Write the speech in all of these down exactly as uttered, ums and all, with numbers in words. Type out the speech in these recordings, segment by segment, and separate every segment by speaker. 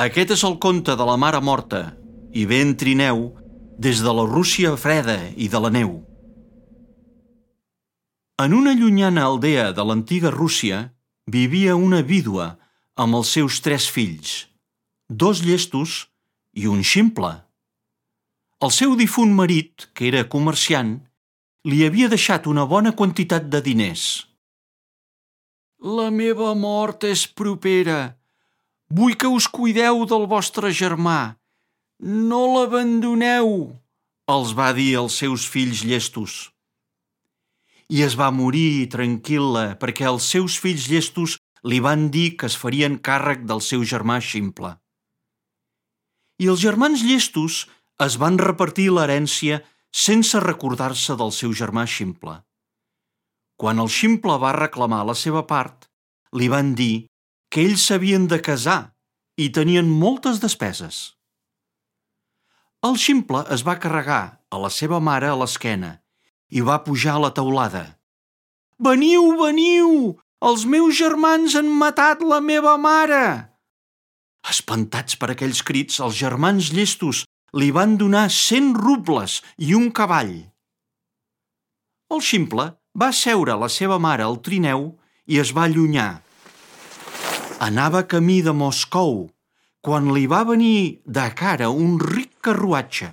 Speaker 1: Aquest és el conte de la mare morta i ve en trineu des de la Rússia freda i de la neu. En una llunyana aldea de l'antiga Rússia vivia una vídua amb els seus tres fills, dos llestos i un ximple. El seu difunt marit, que era comerciant, li havia deixat una bona quantitat de diners. «La meva mort és propera. Vull que us cuideu del vostre germà. No l'abandoneu», els va dir als seus fills llestos. I es va morir tranquil·la perquè els seus fills llestos li van dir que es farien càrrec del seu germà ximple. I els germans llestos es van repartir l'herència sense recordar-se del seu germà ximple. Quan el ximple va reclamar la seva part, li van dir que ells s'havien de casar i tenien moltes despeses. El ximple es va carregar a la seva mare a l'esquena i va pujar a la teulada. «Veniu, veniu! Els meus germans han matat la meva mare!» Espantats per aquells crits, els germans llestos li van donar cent rubles i un cavall. El ximple va seure la seva mare al trineu i es va allunyar. Anava camí de Moscou quan li va venir de cara un ric carruatge.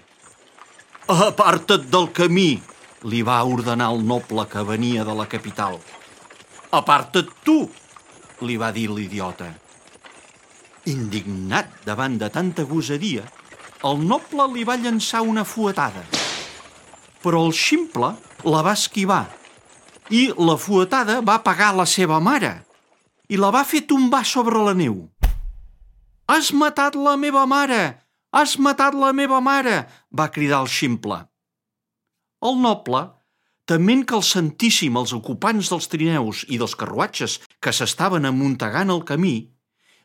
Speaker 1: «Aparta't del camí!», li va ordenar el noble que venia de la capital. «Aparta't tu!», li va dir l'idiota. Indignat davant de tanta gosadia, el noble li va llançar una fuetada. Però el ximple la va esquivar i la fuetada va pegar la seva mare i la va fer tombar sobre la neu. «Has matat la meva mare! Has matat la meva mare!», va cridar el ximple. El noble, tement que el sentíssim els ocupants dels trineus i dels carruatges que s'estaven amuntegant al camí,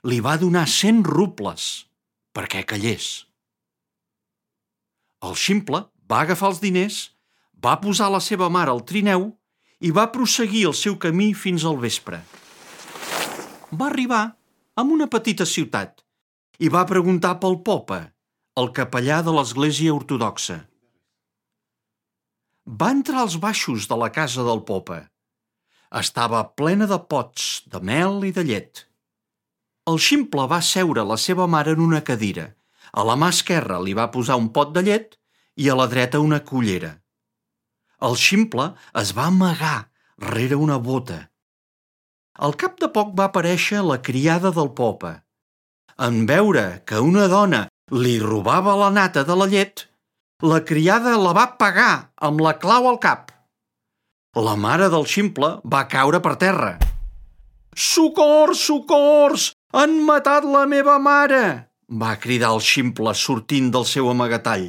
Speaker 1: li va donar cent rubles perquè callés. El ximple va agafar els diners, va posar la seva mare al trineu i va prosseguir el seu camí fins al vespre. Va arribar a una petita ciutat i va preguntar pel Popa, el capellà de l'església ortodoxa. Va entrar als baixos de la casa del Popa. Estava plena de pots, de mel i de llet. El ximple va seure la seva mare en una cadira. A la mà esquerra li va posar un pot de llet i a la dreta una cullera. El ximple es va amagar rere una bota. Al cap de poc va aparèixer la criada del Popa. En veure que una dona li robava la nata de la llet, la criada la va pegar amb la clau al cap. La mare del ximple va caure per terra. «Socors, socors! Han matat la meva mare!», va cridar el ximple sortint del seu amagatall.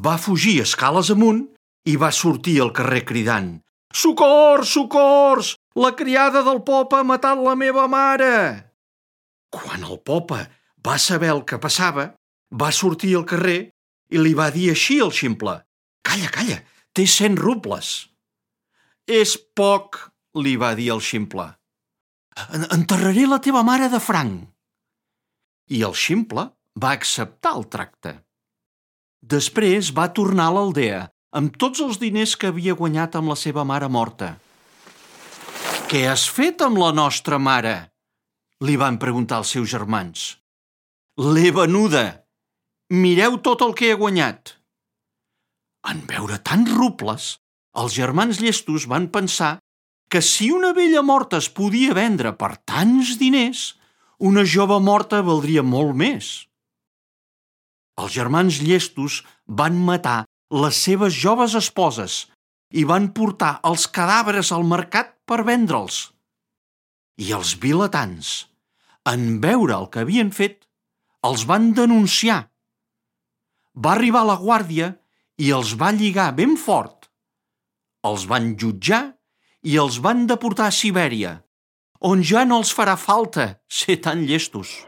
Speaker 1: Va fugir escales amunt i va sortir al carrer cridant: «Socors, socors! La criada del Popa ha matat la meva mare!». Quan el Popa va saber el que passava, va sortir al carrer i li va dir així al ximple: «Calla, calla, té cent rubles». «És poc», li va dir el ximple. «Enterraré la teva mare de franc». I el ximple va acceptar el tracte. Després va tornar a l'aldea amb tots els diners que havia guanyat amb la seva mare morta. «Què has fet amb la nostra mare?», li van preguntar els seus germans. «L'he venuda. Mireu tot el que he guanyat». En veure tants rubles, els germans llestos van pensar que si una vella morta es podia vendre per tants diners, una jove morta valdria molt més. Els germans llestos van matar les seves joves esposes i van portar els cadàvers al mercat per vendre'ls. I els vilatans, en veure el que havien fet, els van denunciar. Va arribar la guàrdia i els va lligar ben fort. Els van jutjar i els van deportar a Sibèria, on ja no els farà falta ser tan llestos.